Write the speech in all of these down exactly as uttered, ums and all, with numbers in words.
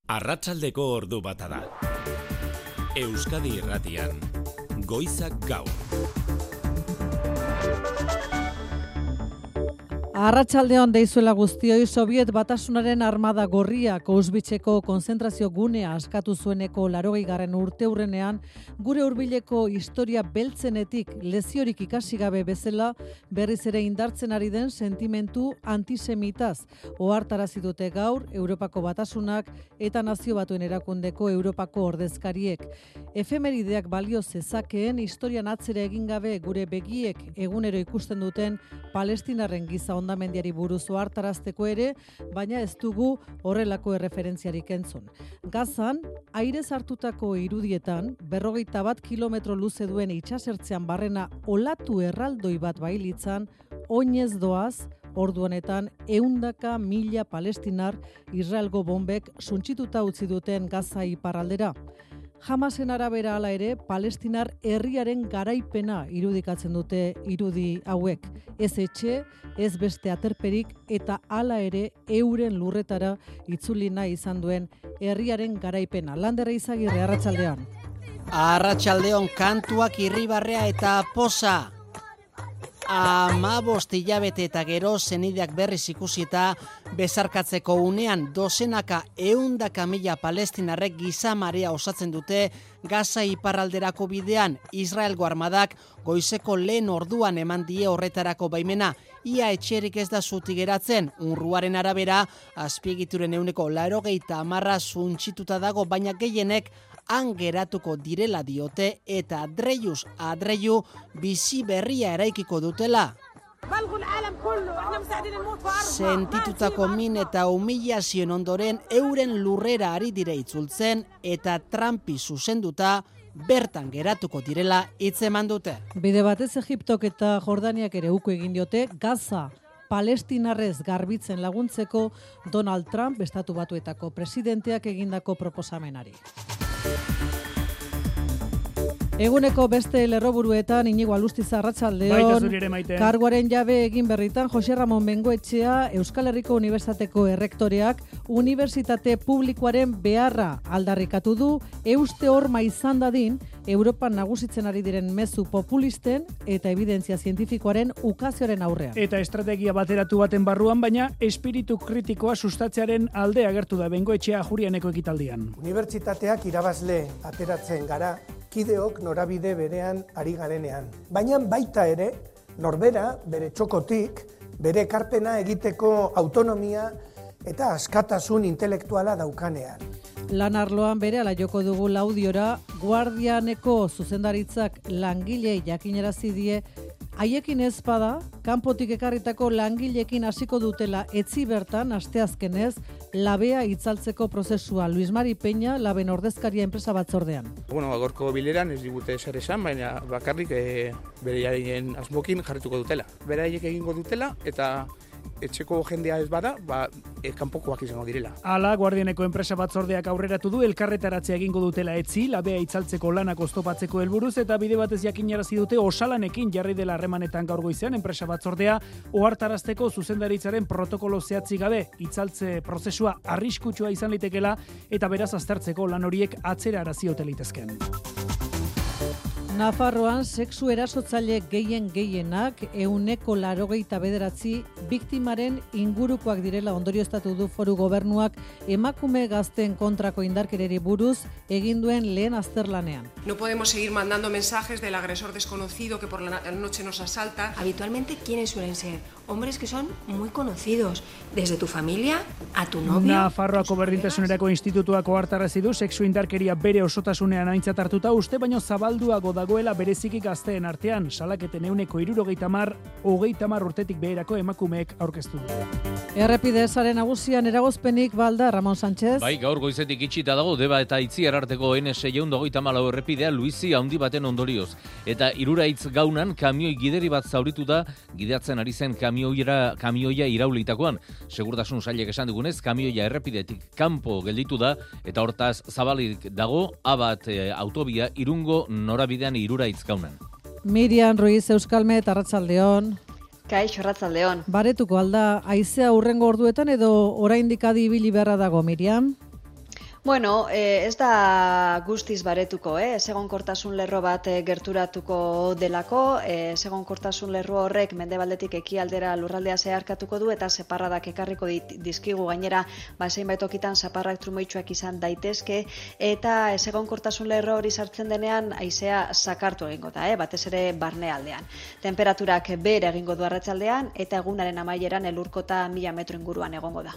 Arratsaldeko ordu bata da. Euskadi Irratian, Goizak Gaur. Arratsaldeon deizuela guztioi, Sobiet Batasunaren armada gorriak Auschwitzeko konzentrazio gunea askatu zueneko laurogeigarren urteurrenean, gure hurbileko historia beltzenetik leziorik ikasi gabe bezala berriz ere indartzen ari den sentimentu antisemitaz ohartarazi dute gaur Europako Batasunak eta Nazio Batuen Erakundeko Europako ordezkariek. Efemerideak balio zezakeen historian atzera egin gabe gure begiek egunero ikusten duten Palestinarren giza ondamendiari buruz ohartarazteko ere, baina ez dugu horrelako erreferentziarik entzun. Gazan, airez hartutako irudietan, berrogeita bat kilometro luze duen itsasertzean barrena olatu erraldoi bat bailitzan, oinez doaz, ordu honetan ehundaka mila palestinar Israelgo bombek suntsituta utzi duten Gaza iparraldera. Hamasen arabera hala ere, Palestinar herriaren garaipena irudikatzen dute irudi hauek. Ez etxe, ez beste aterperik eta hala ere euren lurretara itzuli nahi izan duen herriaren garaipena. Landera Izagirre, arratsaldeon. Arratsaldeon, kantuak irribarrea eta poza. Hamabost hilabete eta gero senideak berriz ikusita bezarkatzeko unean dozenaka ehundaka mila palestinarrek giza marea osatzen dute Gaza iparralderako bidean. Israelgo armadak goizeko lehen orduan eman die horretarako baimena. Ia etxerik ez da zutik geratzen. Unruaren arabera azpiegituren ehuneko laurogeita hamarra suntsituta dago, baina gehienek han geratuko direla diote eta adreiuz adreiu bizi berria eraikiko dutela. Sentitutako min eta humilazioen ondoren euren lurrera ari dire itzultzen eta Trumpi zuzenduta bertan geratuko direla hitzeman dute. Bide batez Egiptok eta Jordaniak ere uko egin diote Gaza Palestinarrez garbitzen laguntzeko Donald Trump Estatu Batuetako presidenteak egindako proposamenari. Eguneko beste lerroburuetan Inigo Alustiza, arratsaldeon. Karguaren jabe egin berritan Jose Ramon Bengoetxea Euskal Herriko Unibertsitateko errektoreak unibertsitate publikoaren beharra aldarrikatu du, euste horma izan dadin Europan nagusitzen ari diren mezu populisten eta evidentzia zientifikoaren ukazioaren aurrean. Eta estrategia bateratu baten barruan, baina espiritu kritikoa sustatzearen alde agertu da Bengoetxea Jurianeko ekitaldian. Unibertsitateak irabazle ateratzen gara, kideok norabide berean ari garenean. Baina baita ere, norbera, bere txokotik, bere ekarpena egiteko autonomia eta askatasun intelektuala daukanean. Lan arloan bere ala joko dugu laudiora, Guardianeko zuzendaritzak langilei jakinarazi die, haiekin ez bada, kanpotik ekarritako langileekin hasiko dutela etzi bertan asteazkenez labea itzaltzeko prozesua. Luis Mari Peña, laben ordezkaria enpresa batzordean. Bueno, agorko bileran ez digute ezer esan, baina bakarrik e, beraiaren asmokin jarrituko dutela. Beraiek egingo dutela eta etxeko jendea ez bada, ba, e, kanpokoak izango direla. Hala, Guardianeko enpresa batzordeak aurreratu du elkarretaratzea egingo dutela etzi, labea itzaltzeko lanak oztopatzeko helburuz eta bide batez jakinarazi dute osalanekin jarri dela harremanetan gaur goizean enpresa batzordea ohartarazteko zuzendaritzaren protokolo zehatzik gabe itzaltze prozesua arriskutsua izan litekela eta beraz aztertzeko lan horiek atzera arazi ote litezken. Nafarroan sexu erasotzaile gehien gehienak ehuneko laurogeita bederatzi biktimaren ingurukoak direla ondorioztatu du Foru Gobernuak emakume gazteen kontrako indarkereri buruz egin duen lehen azterlanean. No podemos seguir mandando mensajes del agresor desconocido que por la noche nos asalta. Habitualmente, ¿quiénes suelen ser? Hombres que son muy conocidos, desde tu familia a tu novio. Nafarroako berdintasunerako institutuak ohartarazi du sexu indarkeria bere osotasunean aintzat hartuta uste baino zabalduago dagoela bereziki gazteen artean, salaketen ehuneko hirurogeita hamar, hogeita hamar urtetik beherako emakumeek aurkeztu du. Errepide sare nagusian eragozpenik balda, Ramon Sánchez. Bai, gaur goizetik itxita dago Deba eta Itziar arteko N seiehun eta hogeita hamalau errepidea Luizi handi baten ondorioz. Eta Iruraitz gaunan kamioi gideri bat zauritu da gidatzen ari zen kamioira, kamioia iraulitakoan. Segurtasun sailek esan dugunez, kamioia errepidetik kanpo gelditu da eta hortaz zabalik dago Abat e, autobia Irungo norabidean Iruraitz gaunan. Miriam Ruiz Euskalmet, arratsaldeon. Kaixo, arratsaldeon. Baretuko alda, haizea hurrengo orduetan edo oraindik adi ibili beharra dago, Miriam? Bueno, eh, ez da guztiz baretuko, eh? Ezegonkortasun lerro bat eh, gerturatuko delako, eh, ezegonkortasun lerro horrek mendebaldetik ekialdera lurraldea zeharkatuko du eta zaparradak ekarriko dit, dizkigu gainera, ba zeinbait tokitan zaparrak trumoitsuak izan daitezke eta ezegonkortasun lerro hori sartzen denean haizea sakartu egingo da, eh? Batez ere barnealdean. Temperaturak behera egingo du arratsaldean eta egunaren amaieran elurkota mila metro inguruan egongo da.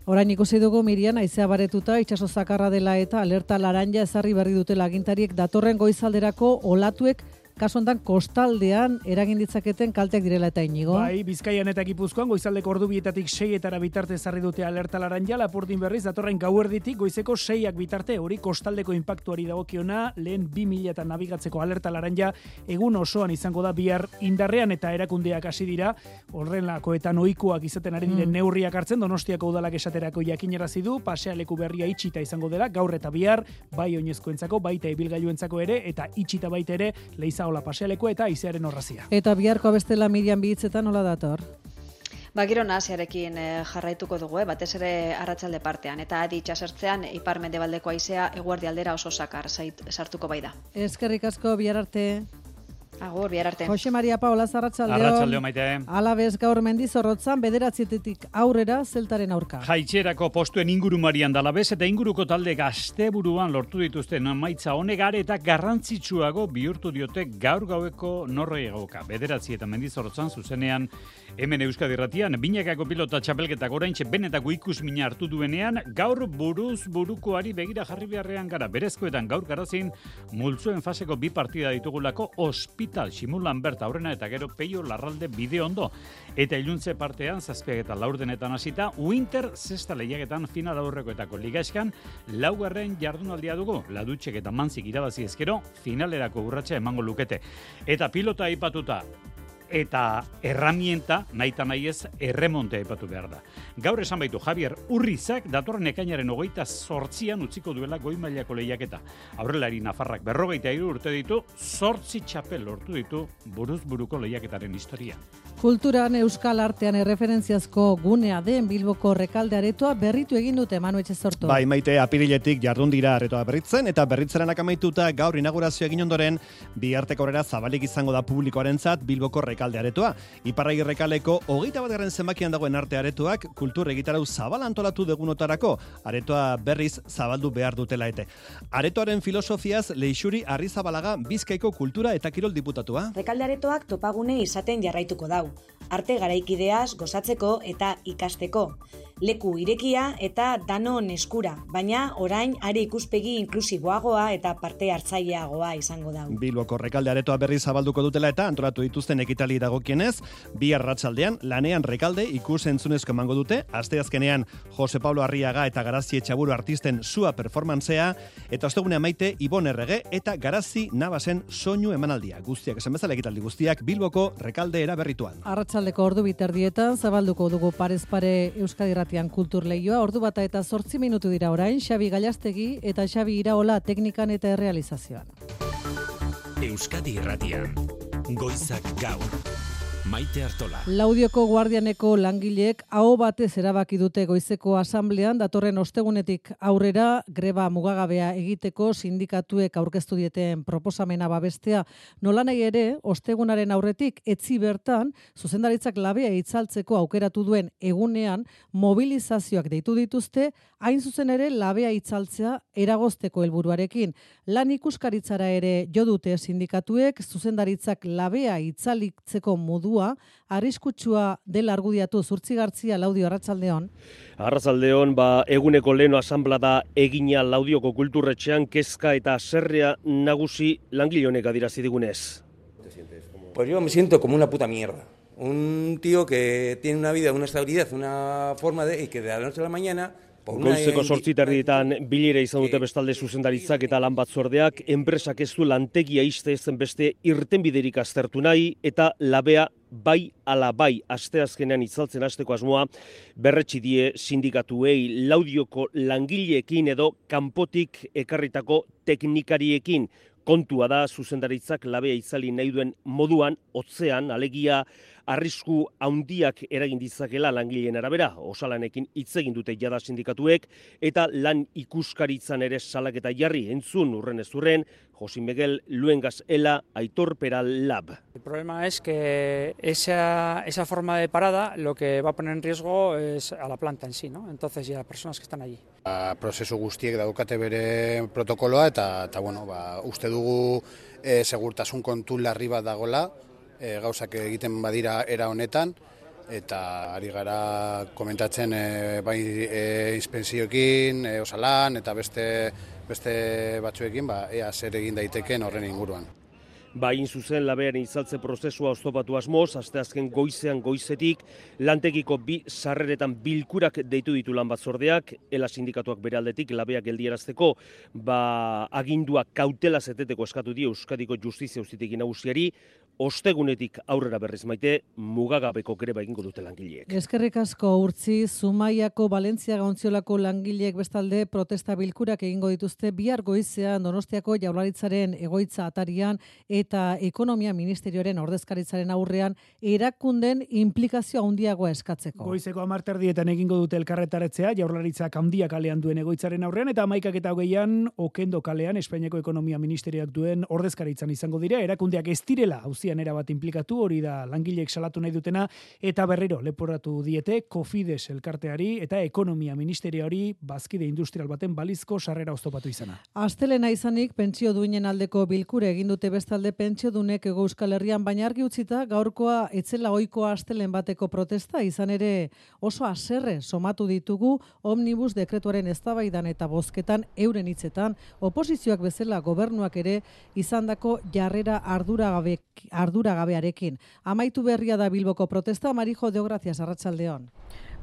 Orain ikusi dugu Mirian haizea baretuta itsaso zakarra dela eta alerta laranja ezarri berri dutela agintariek datorren goizalderako olatuek kasu hontan kostaldean eragin ditzaketen kalteak direla eta Inigo. Bai, Bizkaian eta Gipuzkoan goizaldeko ordubietatik seietara bitarte ezarri dute alerta laranja, Lapurdin berriz datorren gauerditik goizeko seiak bitarte, hori kostaldeko inpaktuari dagokiona, lehen bi mila eta nabigatzeko alerta laranja egun osoan izango da bihar indarrean eta erakundeak hasi dira, horrelako eta ohikoak izaten ari diren mm. neurriak hartzen, Donostiako udalak esaterako jakinarazi du, pasealeku berria itxita izango dela, gaur eta bihar, bai oinezkoentzako, baita ibilgailuentzako ere, eta itxita baita ere, leiza ola pasealeko eta izearen horrazia. Eta biharko bestela Mirian Bihitzetan nola dator? Ba, giro nahasiarekin eh, jarraituko dugu, eh, batez ere arratsalde partean, eta adi itxasertzean ipar mendebaldeko haizea eguerdi aldera oso sakar zait, sartuko bai da. Eskerrik asko, bihar arte. Agur, bihar arte. Jose Maria Paola, arratsaldeon. Arratsaldeon, Maite. Alabez gaur Mendizorrotzan bederatzietetik aurrera zeltaren aurka. Jaitxerako postuen ingurumarian dalabez eta inguruko talde gazteburuan lortu dituzten emaitza honegare eta garrantzitsuago bihurtu diote gaur gaueko norgehiagoka. Bederatzi eta Mendizorrotzan zuzenean hemen Euskadi Irratian binakako pilota txapelketak oraintxe benetako ikusmina hartu duenean gaur buruz burukoari begira jarri beharrean gara. Berezkoetan gaur garazin multzuen faseko bi partida ditugulako Hospital Simulan berta aurrena eta gero Peio Larralde bide ondo. Eta iluntze partean zazpiak eta laurdenetan hasita Winter zesta lehiaketan final aurrekoetako ligaeskan laugarren jardunaldia dugu. Ladutxek eta Mantzik irabazi ezkero finalerako urratsa emango lukete. Eta pilota aipatuta eta erramienta, nahita nahi ez, erremonte aipatu behar da. Gaur esan baitu Javier Urrizak datorren ekainaren hogeita zortzian utziko duela goi mailako lehiaketa. Aurrelari Nafarrak berrogeita hiru urte ditu, zortzi txapel lortu ditu buruz buruko lehiaketaren historia. Kulturan euskal artean erreferentziazko gunea den Bilboko Rekalde aretoa berritu egin dute Manu Etxezorto. Bai, Maite, apiriletik jardun dira aretoa berritzen eta berritzeranak amaituta gaur inaugurazioa egin ondoren bihartek aurrera zabalik izango da publikoarentzat Bilboko Rekalde aretoa. Iparragi Rekaleko hogeita batgarren zenbakian dagoen arte aretoak kultur egitarau zabal antolatu degunotarako aretoa berriz zabaldu behar dutela ete. Aretoaren filosofiaz Leixuri Arrizabalaga Bizkaiko kultura eta kirol diputatua. Rekalde aretoak topagune izaten jarraituko dau. Arte garaikideaz gozatzeko eta ikasteko. Leku irekia eta danon eskura, baina orain are ikuspegi inklusiboagoa eta parte hartzaileagoa izango da. Bilboko Rekalde aretoa berri zabalduko dutela eta antolatu dituzten ekitali dagokienez, bi arratsaldean lanean Rekalde ikus entzunezko emango dute, asteazkenean Jose Pablo Arriaga eta Garazi Etxaburu artisten sua performantzea, eta ostegune amaite Ibon Errege eta Garazi Nabasen soinu emanaldia. Guztiak esan bezala ekitaldi guztiak Bilboko Rekalde eraberrituan. Arratsaldeko ordu biterdietan zabalduko dugu parez pare Euskadi Irratian kultur lehioa, ordu bata eta zortzi minutu dira orain, Xabi Gallastegi eta Xabi Iraola teknikan eta errealizazioan. Euskadi Irratian, goizak gaur. Maite Artola. Laudioko guardianeko langileek aho batez erabaki dute goizeko asamblean datorren ostegunetik aurrera greba mugagabea egiteko sindikatuek aurkeztu dieten proposamena babestea. Nolanahi ere, ostegunaren aurretik etzi bertan zuzendaritzak labea itzaltzeko aukeratu duen egunean mobilizazioak deitu dituzte, hain zuzen ere labea itzaltzea eragozteko helburuarekin. Lan ikuskaritzara ere jo dute sindikatuek zuzendaritzak labea itzalitzeko modu arriskutsua dela argudiatu. Zurtzi Gartzia, Laudio, arratsaldeon. Arratsaldeon, ba, eguneko leheno asanblada egina Laudioko kulturretxean kezka eta haserrea nagusi langile honek adierazi digunez. Pues yo me siento como una puta mierda. Un tío que tiene una vida, una estabilidad, una forma de, y que de la noche a la mañana Goizeko zortzi terdietan bilera izan dute bestalde zuzendaritzak eta lan batzordeak, enpresak ez du lantegia iste ezen beste irtenbiderik aztertu nahi eta labea bai ala bai asteazkenean itzaltzen hasteko asmoa berretsi die sindikatuei. Laudioko langileekin edo kanpotik ekarritako teknikariekin. Kontua da zuzendaritzak labea itzali nahi duen moduan, hotzean, alegia arrisku handiak eragin ditzakela langileen arabera, osalanekin hitz egin dute jada sindikatuek, eta lan ikuskaritzan ere salaketa jarri entzun urren ez urren, Jose Miguel Luengas Ela, Aitor Peral Lab. El problema es que esa, esa forma de parada lo que va a poner en riesgo es a la planta en sí, ¿no? Entonces, y a las personas que están allí. Ba, prozesu guztiek daukate bere protokoloa eta, eta bueno, ba, uste dugu e, segurtasun kontu larri bat dagola, e, gauzak egiten badira era honetan, eta ari gara komentatzen e, bai e, inspenzioekin, e, osalan eta beste beste batzuekin, ba, ea zer egin daiteken horren inguruan. Ba, hain zuzen labearen izaltze prozesua oztopatu asmoz, asteazken goizean goizetik, lantegiko bi sarreretan bilkurak deitu ditu lan batzordeak, Ela sindikatuak bere aldetik labeak geldierazteko, ba, agindua kautela zeteteko eskatu dio Euskadiko Justizia Auzitegi Nagusiari, ostegunetik aurrera berriz Maite, mugagabeko greba egingo dute langileek. Eskerrik asko Urtzi, Zumaiako Valentziaga Ontziolako langileek bestalde protesta bilkurak egingo dituzte bihar goizean Donostiako Jaurlaritzaren egoitza atarian eta Ekonomia Ministerioaren ordezkaritzaren aurrean erakunden inplikazio handiagoa eskatzeko. Goizeko hamar terdietan egingo dute elkarretaretzea Jaurlaritzak handia kalean duen egoitzaren aurrean eta hamaikak eta hogeian Okendo kalean Espainiako Ekonomia Ministerioak duen ordezkaritzan izango dira, erakundeak ez direla auzian erabat inplikatu, hori da langileek salatu nahi dutena, eta berriro leporatu diete Cofides elkarteari eta Ekonomia Ministerioari bazkide industrial baten balizko sarrera oztopatu izana. Astelena izanik pentsio duinen aldeko bilkure egin dute bestalde pentsio dunek Hego Euskal Herrian, baina argi utzita gaurkoa etzela ohikoa astelen bateko protesta, izan ere oso haserre somatu ditugu omnibus dekretuaren eztabaidan eta bozketan euren hitzetan, oposizioak bezala gobernuak ere izandako jarrera arduragabe arduragabearekin. Amaitu berria da Bilboko protesta, Marijo Deogracias, Arratsaldeon.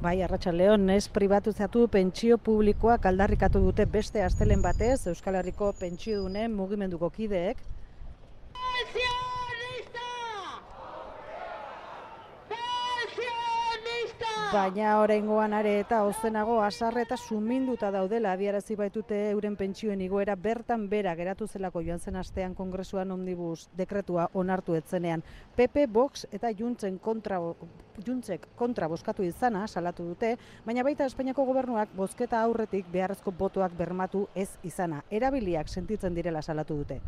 Bai, Arratsaldeon, ez pribatizatu pentsio publikoak aldarrikatu dute beste astelen batez Euskal Herriko pentsiodunen mugimenduko kideek. Baina oraingoan are eta ozenago hasarre eta suminduta daudela adierazi baitute euren pentsioen igoera bertan bera geratu zelako joan zen astean Kongresuan omnibus dekretua onartu etzenean. P P, Vox eta Juntzen kontra Juntzek kontra bozkatu izana salatu dute, baina baita Espainiako gobernuak bozketa aurretik beharrezko botoak bermatu ez izana. Erabiliak sentitzen direla salatu dute.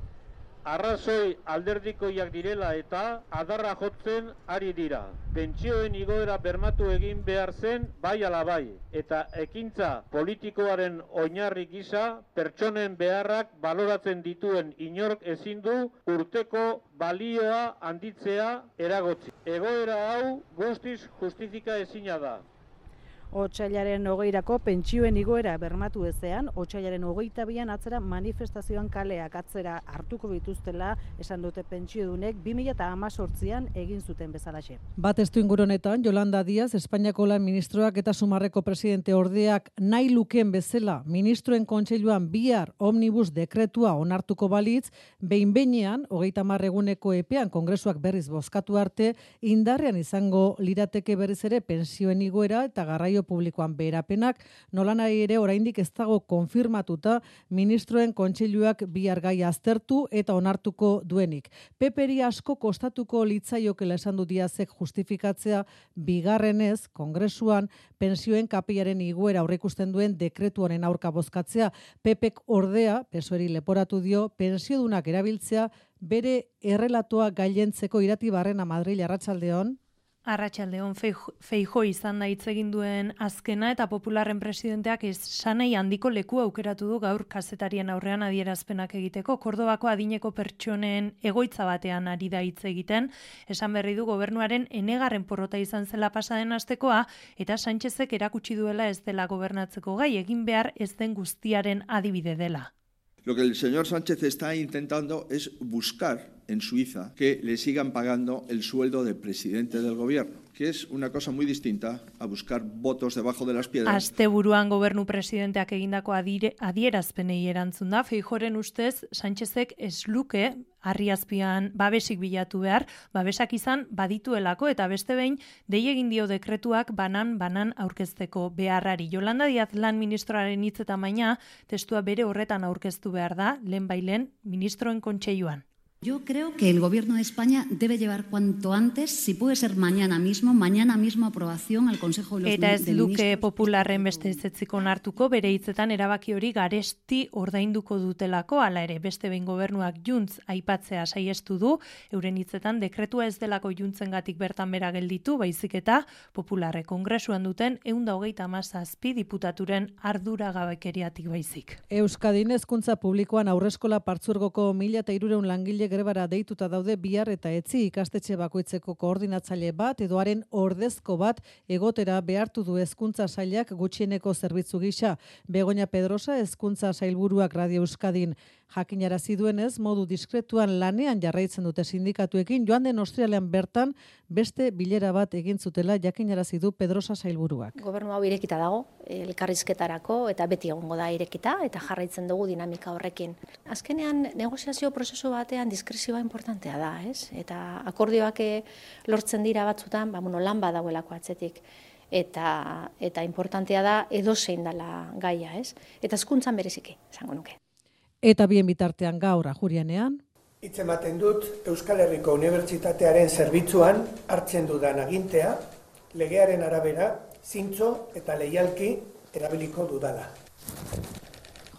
Arrazoi alderdikoiak direla eta adarra jotzen ari dira. Pentsioen igoera bermatu egin behar zen bai ala bai, eta ekintza politikoaren oinarri gisa pertsonen beharrak baloratzen dituen inork ezin du urteko balioa handitzea eragotzi. Egoera hau guztiz justifika ezina da. Otsailaren hogeirako pentsioen igoera bermatu ezean, otsailaren hogeita bian atzera manifestazioan kaleak atzera hartuko dituztela esan dute pentsiodunek bi mila hemezortzian egin zuten bezalaxe. Bat estu ingurunetan, Yolanda Díaz, Espainiako lan ministroak eta Sumarreko presidente ordeak nahi lukeen bezala ministroen kontseiluan bihar omnibus dekretua onartuko balitz, behin behinean, hogeita hamar eguneko epean Kongresuak berriz bozkatu arte, indarrean izango lirateke berriz ere pentsioen igoera eta garraio publikoan beherapenak, nolanahi ere oraindik ez dago konfirmatuta ministroen kontseiluak bihar gai aztertu eta onartuko duenik. Peperi asko kostatuko litzaiokela esan du Díazek justifikatzea bigarrenez Kongresuan pentsioen kapeiaren igoera aurreikusten duen dekretu honen aurka bozkatzea. Pepek ordea, P S O E-ri leporatu dio, pentsiodunak erabiltzea bere errelatoa gailentzeko Irati Barrena Madril, Arratsaldeon. Arratsaldeon, Feijóo izan da hitz egin duen azkena eta Popularren presidenteak esanei handiko leku aukeratu du gaur kazetarien aurrean adierazpenak egiteko. Kordobako adineko pertsonen egoitza batean ari da hitz egiten, esan berri du gobernuaren enegarren porrota izan zela pasaden astekoa eta Sánchezek erakutsi duela ez dela gobernatzeko gai, egin behar ez den guztiaren adibide dela. Lo que el señor Sánchez está intentando es buscar en Suiza que le sigan pagando el sueldo del presidente del gobierno, que es una cosa muy distinta a buscar votos debajo de las piedras. Asteburuan gobernu presidenteak egindako adire, adierazpenei erantzun da, Feijóoren ustez Sánchezek ez luke harriazpian babesik bilatu behar, babesak izan badituelako eta beste behin dei egin dio dekretuak banan-banan aurkezteko beharrari. Yolanda Díaz lan ministroaren hitzetan baina testua bere horretan aurkeztu behar da, lehen bailen ministroen kontseiluan. Yo creo que el Gobierno de España debe llevar cuanto antes, si puede ser mañana mismo, mañana mismo aprobación al Consejo de los Eta ez de luke Ministros. popularren beste ezetziko onartuko, bere hitzetan erabaki hori garesti ordainduko dutelako, hala ere beste behin gobernuak juntz aipatzea saiestu du, euren hitzetan dekretua ez delako juntzengatik bertan bera gelditu, baizik eta popularre kongresuan duten ehun eta hogeita hamazazpi diputaturen arduragabekeriatik baizik. Euskadin hezkuntza publikoan aurreskola partzuergoko mila eta hirurehun langile grebara deituta daude bihar eta etzi ikastetxe bakoitzeko koordinatzaile bat edo haren ordezko bat egotera behartu du hezkuntza sailak gutxieneko zerbitzu gisa. Begoña Pedrosa hezkuntza sailburuak Radio Euskadin jakinarazi duenez modu diskretuan lanean jarraitzen dute sindikatuekin joan den ostrialean bertan beste bilera bat egin zutela jakinarazi du Pedrosa sailburuak. Gobernu hau irekita dago, elkarrizketarako eta beti egongo da irekita eta jarraitzen dugu dinamika horrekin. Azkenean negoziazio prozesu batean diskrezioa importantea da, ez? Eta akordioak lortzen dira batzutan, ba, bueno, lan badagoelako atzetik. Eta, eta importantea da edozein dela gaia, ez? Eta hezkuntzan bereziki, esango nuke. Eta bien bitartean gaur ajurianean. Hitz ematen dut Euskal Herriko Unibertsitatearen zerbitzuan hartzen dudan agintea, legearen arabera, zintzo eta leialki erabiliko dudala.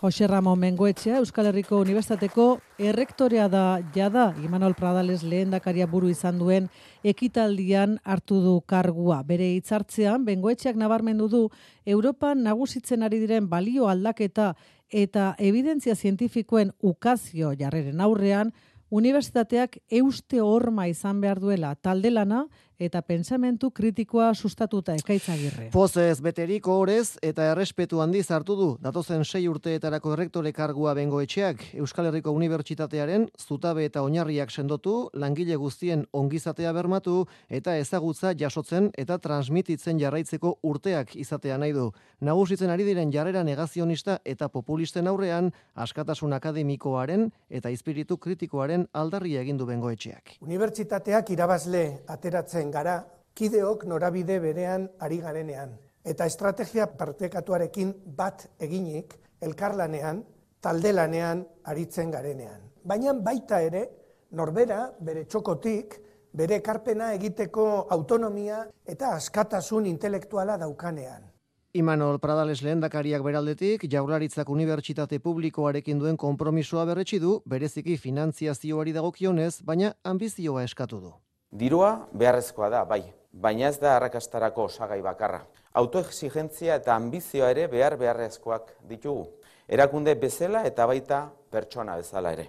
Jose Ramon Bengoetxea, Euskal Herriko Unibertsitateko errektorea da jada, Imanol Pradales lehendakaria buru izan duen ekitaldian hartu du kargua. Bere hitzartzean, Bengoetxeak nabarmendu du, Europan nagusitzen ari diren balio aldaketa eta evidentzia zientifikoen ukazio jarreren aurrean, unibertsitateak euste horma izan behar duela talde lana eta pentsamentu kritikoa sustatuta Ekaitzagirre. Pozez beterik horrez eta errespetu handiz hartu du datozen sei urteetarako errektore kargua Bengoetxeak Euskal Herriko Unibertsitatearen zutabe eta oinarriak sendotu, langile guztien ongizatea bermatu eta ezagutza jasotzen eta transmititzen jarraitzeko urteak izatea nahi du. Nagusitzen ari diren jarrera negazionista eta populisten aurrean askatasun akademikoaren eta espiritu kritikoaren aldarria egin du Bengoetxeak. Unibertsitateak irabazle ateratzen gara, kideok norabide berean ari garenean. Eta estrategia partekatuarekin bat eginik, elkarlanean, taldelanean aritzen garenean. Baina baita ere, norbera, bere txokotik, bere ekarpena egiteko autonomia eta askatasun intelektuala daukanean. Imanol Pradales lehendakariak beraldetik, Jaurlaritzak unibertsitate publikoarekin duen konpromisoa berretsi du, bereziki finantziazioari dagokionez, baina ambizioa eskatu du. Dirua beharrezkoa da, bai, baina ez da arrakastarako osagai bakarra. Autoexigentzia eta ambizioa ere behar beharrezkoak ditugu. Erakunde bezala eta baita pertsona bezala ere.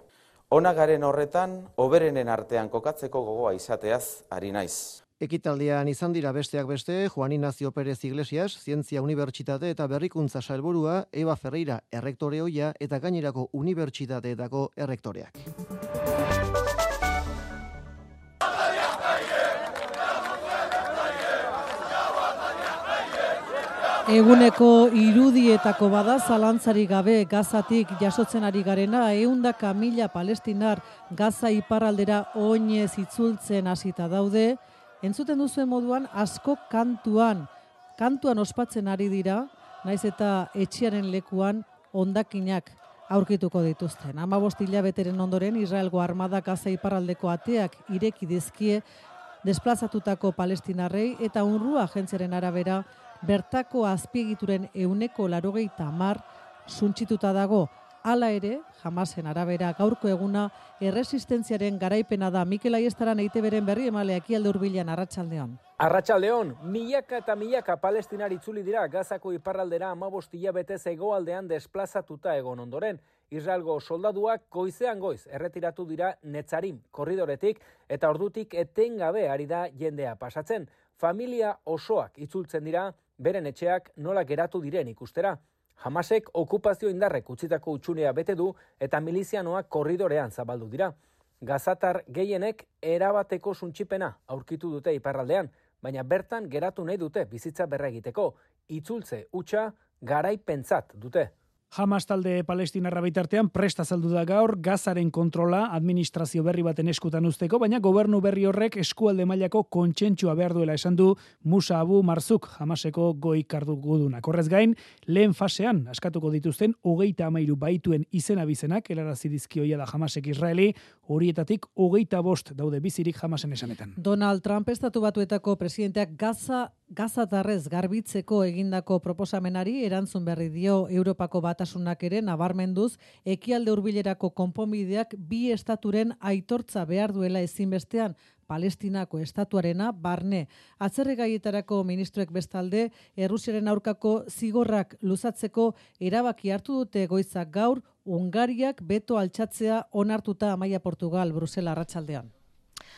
Ona garen horretan, hoberenen artean kokatzeko gogoa izateaz ari naiz. Ekitaldian izan dira besteak beste, Juan Ignacio Pérez Iglesias, Zientzia Unibertsitate eta Berrikuntza Sailburua, Eva Ferreira errektore ohia eta gainerako unibertsitateetako errektoreak. Eguneko irudietako bada zalantzari gabe Gazatik jasotzen ari garena ehundaka mila palestinar Gaza iparraldera oinez itzultzen hasita daude. Entzuten duzuen moduan asko kantuan, kantuan ospatzen ari dira, naiz eta etxearen lekuan hondakinak aurkituko dituzten. hamabost hilabeteren ondoren Israelgo armada Gaza iparraldeko ateak ireki dizkie desplazatutako palestinarrei eta UNRWA agentziaren arabera bertako azpiegituren ehuneko laurogeita hamar suntsituta dago. Hala ere, Hamasen arabera gaurko eguna erresistentziaren garaipena da. Mikel Aiestaran E I Te Beren berri emalea Ekialde Hurbilean Arratsaldeon. Arratsaldeon, milaka eta milaka palestinar itzuli dira Gazako iparraldera hamabost hilabetez hegoaldean desplazatuta egon ondoren. Israelgo soldaduak goizean goiz erretiratu dira Netzarim korridoretik eta ordutik etengabe ari da jendea pasatzen. Familia osoak itzultzen dira beren etxeak nola geratu diren ikustera. Hamasek okupazio indarrek utzitako utxunea bete du eta milizianoak korridorean zabaldu dira. Gazatar gehienek erabateko suntsipena aurkitu dute iparraldean, baina bertan geratu nahi dute bizitza berregiteko. Itzultze hutsa garaipentzat dute. Hamas talde palestinarra bitartean presta azaldu da gaur Gazaren kontrola administrazio berri baten eskutan usteko, baina gobernu berri horrek eskualde mailako kontsentsua behar duela esan du Musa Abu Marzuk, Hamaseko goi kardugudunak. Horrez gain, lehen fasean askatuko dituzten hogeita hamairu baituen izena bizenak helarazi dizkioia da Hamasek Israeli, horietatik hogeita bost daude bizirik Hamasen esanetan. Donald Trump estatu batuetako presidenteak Gaza Gazatarrez garbitzeko egindako proposamenari erantzun berri dio Europako batasunak ere nabarmenduz ekialde hurbilerako konponbideak bi estaturen aitortza behar duela ezinbestean Palestinako estatuarena barne. Atzerrigaietarako ministroek bestalde Errusiaren aurkako zigorrak luzatzeko erabaki hartu dute goizak gaur Hungariak beto altxatzea onartuta Amaia Portugal Brusela arratsaldean.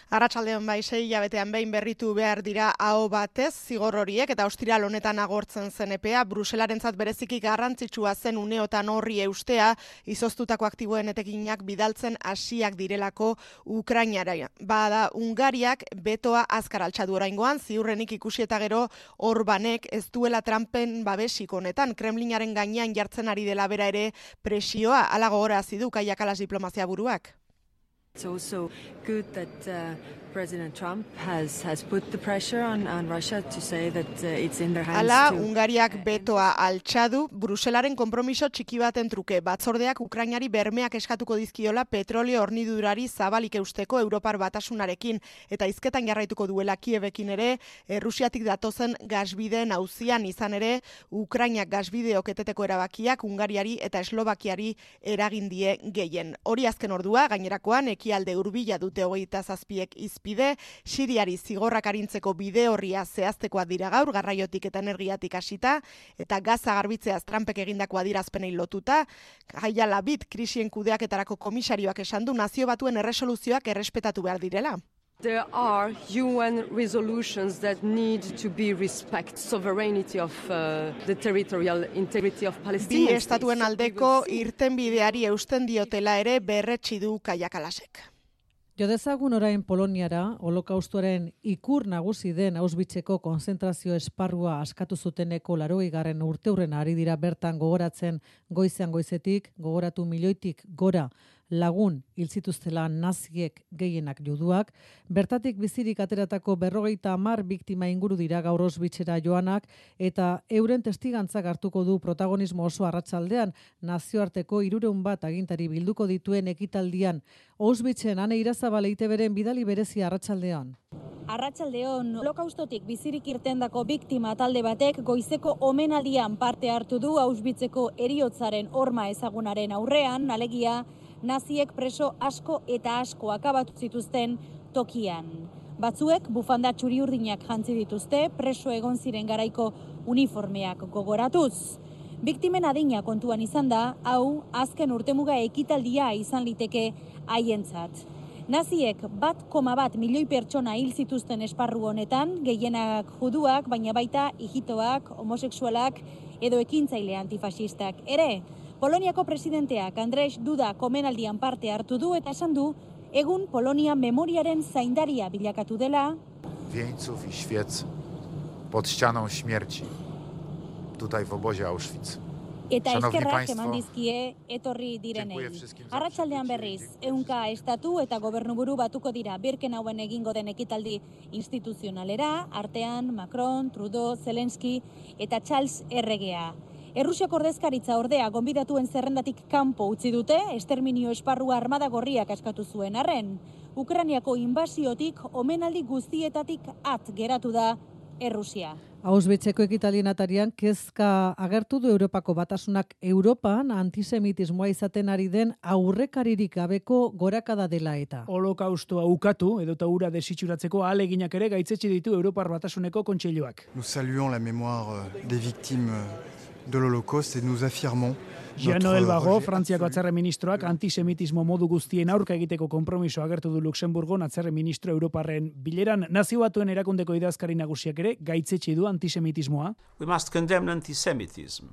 Arratsaldean bai, sei hilabetean behin berritu behar dira aho batez zigor horiek eta ostiral honetan agortzen zen epea, Bruselarentzat bereziki garrantzitsua zen uneotan horri eustea, izoztutako aktiboen etekinak bidaltzen hasiak direlako Ukrainara. Bada Hungariak betoa azkar altxatu oraingoan, ziurrenik ikusi eta gero Orbanek ez duela Trumpen babesik honetan, Kremlinaren gainean jartzen ari dela bera ere presioa, ala gogorazi du Kaia Kalas diplomazia buruak. It's also good that uh, President Trump has has put the pressure on on Russia to say that uh, it's in their hands. Hala, to... Hungariak betoa altxadu, Bruselaren konpromiso txiki baten truke. Batzordeak Ukrainari bermeak eskatuko dizkiola petrolio hornidurari zabalik eusteko Europar batasunarekin eta hizketan jarraituko duela Kievekin ere, Errusiatik datozen gasbideen auzian izan ere, Ukrainak gasbideok eteteko erabakiak Hungariari eta Eslovakiari eragin die gehien. Hori azken ordua, gainerakoan ekialde hurbila dute hogeita zazpiek izpide, Siriari zigorrak arintzeko bide horria zehaztekoa dira gaur, garraiotik eta energiatik hasita, eta Gaza garbitzeaz Trumpek egindako adierazpenei lotuta, Jaia Labid krisien kudeaketarako komisarioak esan du nazio batuen erresoluzioak errespetatu behar direla. There are U N resolutions that need to be respect sovereignty of uh, the territorial integrity of Palestine. Bi estatuen aldeko irtenbideari eusten diotela ere berretsi du Kaia Kalasek. Jo dezagun orain Poloniara, holokaustoaren ikur nagusi den Auschwitzeko konzentrazio esparrua askatu zuteneko laurogeigarren urteurrena ari dira bertan gogoratzen goizean goizetik, gogoratu milioitik gora lagun hil zituztela naziek gehienak juduak, bertatik bizirik ateratako berrogeita hamar biktima inguru dira gaur Auschwitzera joanak eta euren testigantzak hartuko du protagonismo oso arratsaldean nazioarteko hirurehun bat agintari bilduko dituen ekitaldian. Auschwitzen Ane Irazabal E I Te Beren bidali berezia arratsaldean. Arratsaldeon, holokaustotik bizirik irtendako biktima talde batek goizeko omenaldian parte hartu du Auschwitzeko heriotzaren horma ezagunaren aurrean, alegia naziek preso asko eta asko akabatu zituzten tokian. Batzuek bufanda txuri-urdinak jantzi dituzte, preso egon ziren garaiko uniformeak gogoratuz. Biktimen adina kontuan izan da, hau azken urtemuga ekitaldia izan liteke haientzat. Naziek bat koma bat milioi pertsona hil zituzten esparru honetan, gehienak juduak, baina baita hijitoak, homosexualak edo ekintzaile antifasistak ere. Poloniako presidenteak Andrzej Duda komenaldian parte hartu du eta esan du egun Polonia memoriaren zaindaria bilakatu dela. Wieńców i świec pod ścianą śmierci, tutaj w obozie Auschwitz. Eta eskerrak eman dizkie etorri direnei. Arratsaldean berriz, ehunka estatu eta gobernuburu batuko dira Birkenauen egingo den ekitaldi instituzionalera, artean Macron, Trudeau, Zelensky eta Charles erregea. Errusiako ordezkaritza ordea gonbidatuen zerrendatik kanpo utzi dute, esterminio esparrua armada gorriak askatu zuen arren. Ukrainiako inbasiotik omenaldi guztietatik at geratu da Errusia. Auschwitzeko ekitaldien atarian kezka agertu du Europako batasunak Europan antisemitismoa izaten ari den aurrekaririk gabeko gorakada dela eta. Holokaustoa ukatu edota ura desitxuratzeko ahaleginak ere gaitzetsi ditu Europar batasuneko kontseiluak. Nous saluons la mémoire des victimes de l'Holocauste et nous affirmons Jean-Noël Barrot, Frantziako atzerre ministroak antisemitismo modu guztien aurka egiteko konpromiso agertu du Luxemburgon atzerre ministro Europarren bileran. Nazio Batuen erakundeko idazkari nagusiak ere gaitzetsi du antisemitismoa. We must condemn antisemitism,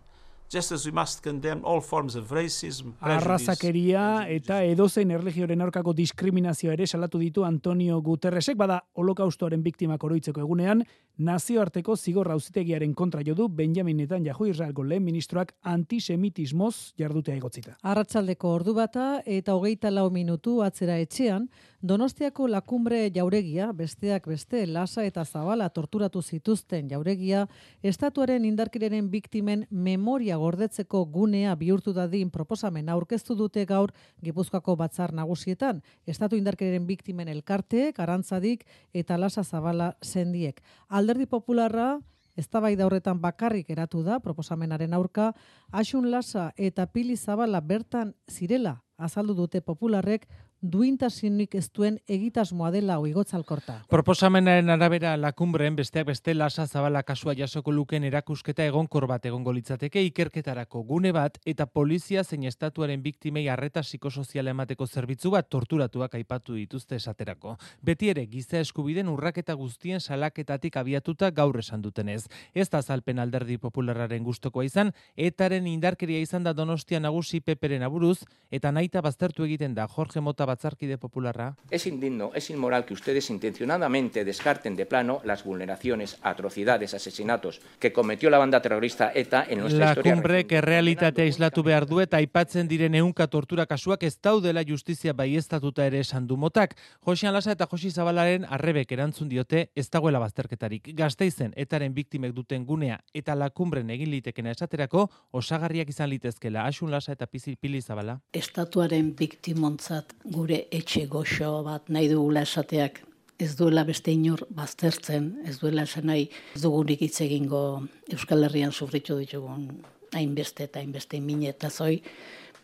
just as we must condemn all forms of racism, arrazakeria eta edozein erlijioaren aurkako diskriminazioa ere salatu ditu Antonio Guterresek, bada holokaustoaren biktimak oroitzeko egunean, nazioarteko zigor auzitegiaren kontra jo du Benjamin Netanyahu Israelgo lehen ministroak antisemitismoz jardutea egotzita. Arratsaldeko ordu bata eta hogeita lau minutu atzera etxean, Donostiako Lakumbre jauregia, besteak beste, Lasa eta Zabala torturatu zituzten jauregia, estatuaren indarkeriaren biktimen memoria gordetzeko gunea bihurtu dadin proposamen aurkeztu dute gaur Gipuzkoako batzar nagusietan, estatu indarkeriaren biktimen elkarteek, Arantzadik eta Lasa Zabala sendiek. Alderdi Popularra eztabaida horretan bakarrik eratu da proposamenaren aurka, Asun Lasa eta Pili Zabala bertan zirela azaldu dute Popularrek, duintasunik ez duen egitasmoa dela Oigotzalkorta. Proposamenaren arabera Lakumbreen besteak beste Lasa Zabala kasua jasoko luken erakusketa egonkor bat egongo litzateke, ikerketarako gune bat eta polizia zein estatuaren biktimei arreta psikosoziala emateko zerbitzu bat torturatuak aipatu dituzte esaterako. Beti ere giza eskubideen urraketa guztien salaketatik abiatuta gaur esan dutenez. Ez da azalpen Alderdi Popularraren gustokoa izan, etaren indarkeria izan da Donostia nagusi Peperen aburuz eta nahita baztertu egiten da Jorge Mota Batzarkide Popularra. Es indigno, es inmoral que ustedes intencionadamente descarten de plano las vulneraciones, atrocidades, asesinatos que cometió la banda terrorista ETA en nuestra historia. Lakumbrek errealitatea islatu behar du eta aipatzen diren ehunka tortura kasuak ez daudela justizia baieztatuta ere esan du Motak. Josean Lasa eta Josi Zabalaren arrebek erantzun diote ez dagoela bazterketarik. Gasteizen etaren biktimek duten gunea eta Lakumbren egin litekena esaterako osagarriak izan litezkela Asun Lasa eta Pili Zabala. Estatuaren biktimontzat gure etxe goxo bat nahi dugula esateak ez duela beste inor baztertzen, ez duela esan nahi ez dugunik hitz egingo Euskal Herrian sufritu ditugun hainbeste eta hainbeste mine eta zoi,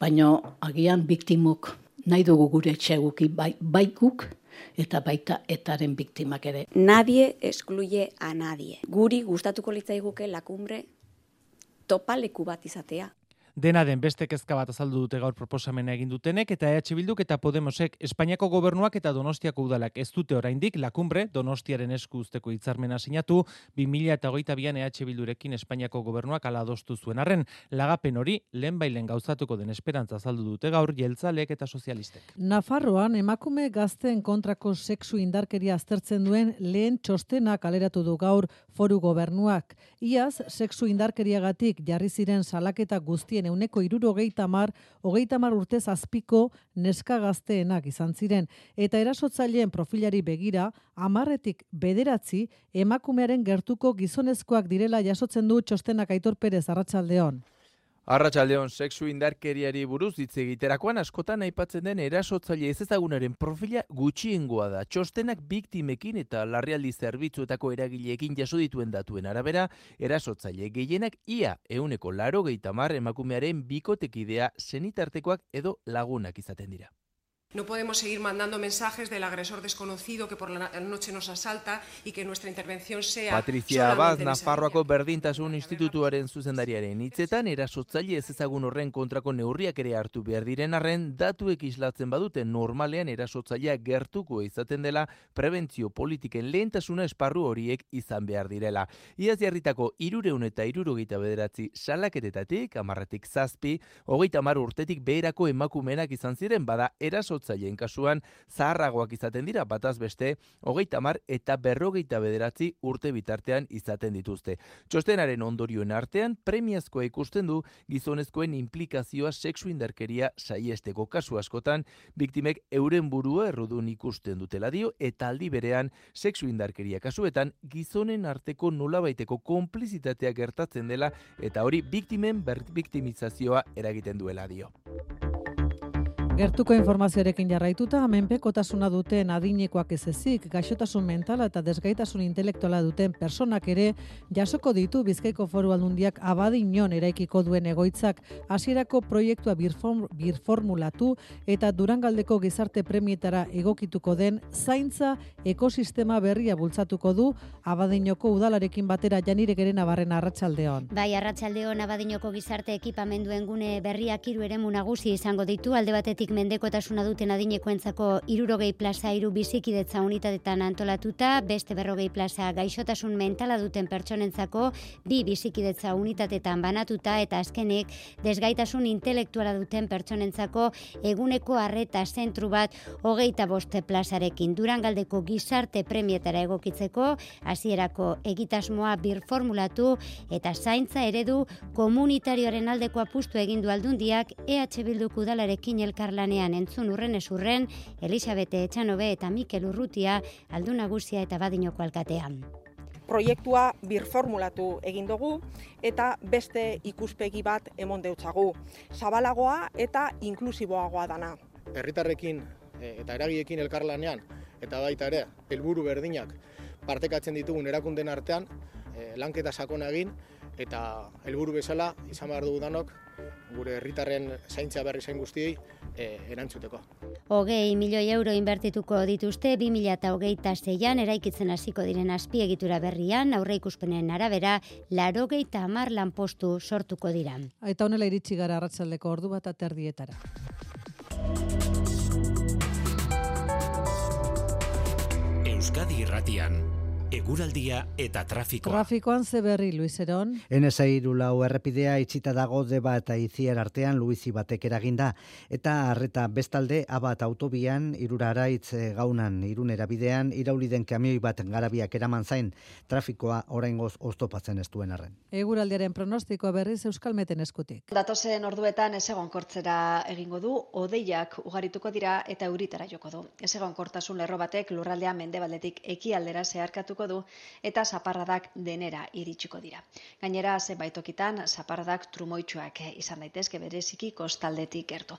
baina agian biktimok nahi dugu gure etxe guki bai, bai guk eta baita etaren biktimak ere. Nadie excluye a nadie. Guri gustatuko litzaiguke Lakumbre topaleku bat izatea. Dena den beste kezka bat azaldu dute gaur proposamena egin dutenek eta E H Bilduk eta Podemosek Espainiako gobernuak eta Donostiako udalak ez dute oraindik Lakumbre Donostiaren esku uzteko hitzarmena sinatu, bi mila hogeita bian E H Bildurekin Espainiako gobernuak hala adostu zuen arren, lagapen hori lehenbailen gauzatuko den esperantza azaldu dute gaur jeltzaleek eta sozialistek. Nafarroan emakume gazteen kontrako sexu indarkeria aztertzen duen lehen txostena kaleratu du gaur foru gobernuak. Iaz, sexu indarkeriagatik jarri ziren salaketa guztien euneko hirurogeita hamar, hogeita hamar urtez azpiko neska gazteenak izan ziren, eta erasotzaileen profilari begira, hamarretik bederatzi emakumearen gertuko gizonezkoak direla jasotzen du txostenak. Aitor Perez, arratsaldeon. Arratsaldeon, sexu indarkeriari buruz hitz egiterakoan askotan aipatzen den erasotzaile ezezagunaren profila gutxiengoa da. Txostenak biktimekin eta larrialdi zerbitzuetako eragileekin jaso dituen datuen arabera, erasotzaile gehienak ia ehuneko laurogeita hamar emakumearen bikotekidea, senitartekoak edo lagunak izaten dira. No podemos seguir mandando mensajes del agresor desconocido que por la noche nos asalta y que nuestra intervención sea Patricia Abad, Nafarroako Berdintasun Institutuaren zuzendariaren hitzetan, erasotzaile ezezagun horren kontrako neurriak ere hartu behar diren arren, datuek islatzen badute normalean erasotzailea gertuko izaten dela prebentzio politiken lehentasuna esparru horiek izan behar direla. Iaz jarritako hirureun eta hirurogeita bederatzi salaketetatik, hamarretik zazpi, hogeita hamar urtetik beherako emakumenak izan ziren, bada erasotzaile erasotzaileen kasuan zaharragoak izaten dira, bataz beste hogeita hamar eta berrogeita bederatzi urte bitartean izaten dituzte. Txostenaren ondorioen artean premiazkoa ikusten du gizonezkoen implikazioa sexu indarkeria saiesteko. Kasu askotan biktimek euren burua errudun ikusten dutela dio, eta aldi berean sexu indarkeria kasuetan gizonen arteko nolabaiteko konplizitatea gertatzen dela eta hori biktimen biktimizazioa eragiten duela dio. Gertuko informazioarekin jarraituta, menpekotasuna duten adinekoak ez ezik, gaixotasun mentala eta desgaitasun intelektuala duten personak ere jasoko ditu Bizkaiko Foru Aldundiak Abadiñon eraikiko duen egoitzak. Hasierako proiektua birform, birformulatu eta Durangaldeko gizarte premietara egokituko den zaintza ekosistema berria bultzatuko du Abadiñoko udalarekin batera. Janire Gerena Barrena, arratsaldeon. Bai, arratsaldeon. Abadiñoko gizarte ekipamenduen gune berriak hiru eremu nagusi izango ditu. Alde batetik urtetik mendekotasuna duten adinekoentzako hirurogei plaza hiru bizikidetza unitatetan antolatuta, beste berrogei plaza gaixotasun mentala duten pertsonentzako bi bizikidetza unitatetan banatuta eta azkenik desgaitasun intelektuala duten pertsonentzako eguneko arreta zentru bat hogeita boste plazarekin. Durangaldeko gizarte premietara egokitzeko hasierako egitasmoa birformulatu eta zaintza eredu komunitarioaren aldeko apustu egin du Aldundiak E H Bilduk udalarekin elkarlanean entzun urren esurren Elisabete Etxanobe eta Mikel Urrutia Aldun Nagusia eta Badinoko alkatean. Proiektua birformulatu egin dugu eta beste ikuspegi bat emon deutzagu. Zabalagoa eta inklusiboagoa dana. Herritarrekin eta eragiekin elkarlanean eta baita ere helburu berdinak partekatzen ditugun erakunden artean lanketa sakona egin eta helburu bezala izan behar dugu danok gure herritarren zaintza berri zain guztiei erantzuteko. Hogei milioi euro inbertituko dituzte bi mila hogeita seian eraikitzen hasiko diren azpiegitura berrian, aurreikuspenen arabera laurogeita hamar lanpostu sortuko dira. Eta honela iritsi gara arratsaldeko ordu bat aterdietara. Euskadi Irratian, eguraldia eta trafikoa. Trafikoan ze berri, Luis Eron? N S hiru lau errepidea itxita dago Deba eta Itziar artean Luizi batek eraginda. Eta arreta bestalde Abat autobian Iruraraitz gaunan Irunera bidean irauli den kamioi bat garabiak eraman zain. Trafikoa oraingoz oztopatzen ez duen arren. Eguraldiaren pronostikoa berriz Euskalmeten eskutik. Datozen orduetan ezegonkortzera egingo du, hodeiak ugarituko dira eta euritara joko du. Ezegonkortasun lerro batek lurraldea mendebaldetik ekialdera zeharkatuko du eta zaparradak denera iritsiko dira. Gainera, zenbait tokitan zaparradak trumoitsuak izan daitezke bereziki kostaldetik gertu.